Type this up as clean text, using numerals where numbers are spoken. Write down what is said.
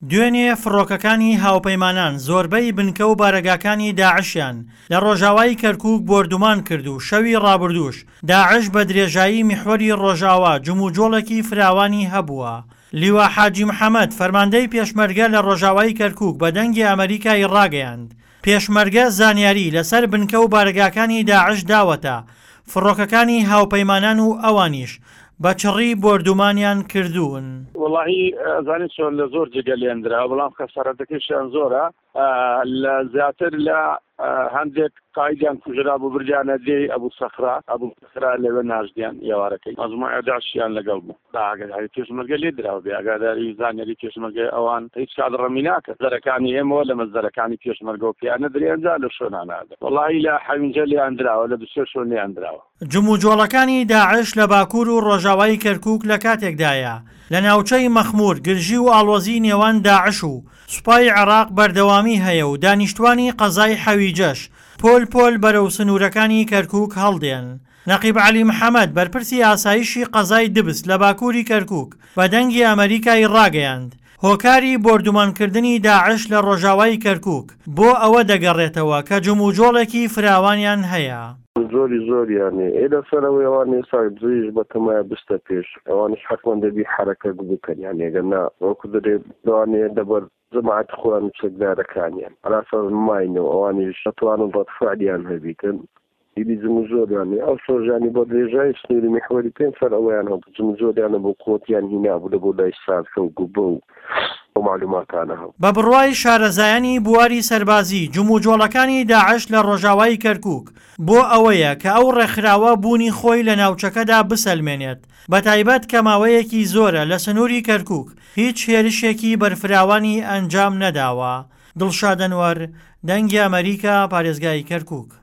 دوێنێ فڕۆکەکانی هاوپەیمانان زۆربەی بنکە و بارەگاکانی داعشیان لە ڕۆژاوای کەرکوک بۆردومان کرد و شەوی ڕابردووش داعش بە درێژایی میحوەری ڕۆژاوا جموجۆڵێکی فراوانی هەبووە. لیوا حاجی محەمەد، فەرماندەی پێشمەرگە لە ڕۆژاوای کەرکوک بە دەنگی ئەمەریکای ڕاگەیاند، پێشمەرگە زانیاری لەسەر بنکە و بارەگاکانی داعش داوەتە فڕۆکەکانی هاوپەیمانان و ئەوانیش بە چڕی بۆردومانیان کردوون. وەڵاهی ئەزانی چۆن لە زۆر جێگە لێندرا بەڵام خەسارەتەکەشیان زۆرە لە زیاتر لە هەندێک قایدیان کوژرا بوو بردیانە دێی ئەبوو سەخرا ئەبوو سەخرا لەوێ ناشتیان ئێوارەکەی مەجموعە داعشیان لەگەڵ بوو بە ئاگاداری پێشمەرگە لێ دراوە بێ ئاگاداری زانیاری پێشمەرگە ئەوان هیچ کات ڕەمی ناکەن زەرەکانی ئێمەوە لە مەزدەرەکانی پێشمەرگەوە پێیان نەدرێ ئەنجا لە شوێنانە ئەدەن وەڵاهی لە حەوینجە لێیان دراوە لە دوسێ شوێن لێیان دراوە. جموجۆڵەکانی داعش لە باکوور و ڕۆژاوای کەرکووک لە کاتێکدایە، لە ناوچەی مەخموور گرژی و ئاڵۆزی نێوان داعش و سوپای عێراق بەردەوامی هەیە و دانیشتوانی قەزای حەویجەش پۆل پۆل بەرەو سنوورەکانی کەرکووک هەڵدێن. نەقیب عەلی محەمەد، بەرپرسی ئاسایشی قەزای دبس لە باکووری کەرکووک بە دەنگی ئەمەریکای ڕاگەیاند، هۆکاری بۆردومانکردنی داعش لە ڕۆژاوای کەرکووک بۆ ئەوە دەگەڕێتەوە کە جموجۆڵێکی فراوانیان هەیە. زۆری زۆریان هەیە ئێ لەسەر ئەوەی ئەوان ئێستا دزیش بەتەمایە بستە پێش ئەوانیش حەتمەن دەبی حەرەکەک بکەن یانی ئەگەر نا وەکو دەرێ لەوانەیە لەبەر جەماعەتی خۆیان و چەکدارەکانیان عەلاساس ماینەوە ئەوانیش ئەتوانن ڕەد فعلیان هەبیتن ئیدی جموجۆلیان نیە ئەو شۆژانی بۆ درێژای سنووری میحوەری پێنج سەر ئەوەیان هەبوو جموجۆلیان هەبوو قوتیان هینابوو لە بۆ لای سارکە و گوبە و ئەو مەعلوماتانە هەبوو. بە بڕوای شارەزایانی بواری سەربازی، جموجۆڵەکانی داعش لە ڕۆژاوای کەرکووک بۆ ئەوەیە کە ئەو ڕێکخراوە بوونی خۆی لە ناوچەکەدا بسەلمێنێت، بەتایبەت کە ماوەیەکی زۆرە لە سنووری کەرکووک هیچ هێرشێکی بەرفراوانی ئەنجام نەداوە. دڵشاد ئەنوەر، دەنگی ئەمەریکا، پارێزگای کەرکووک.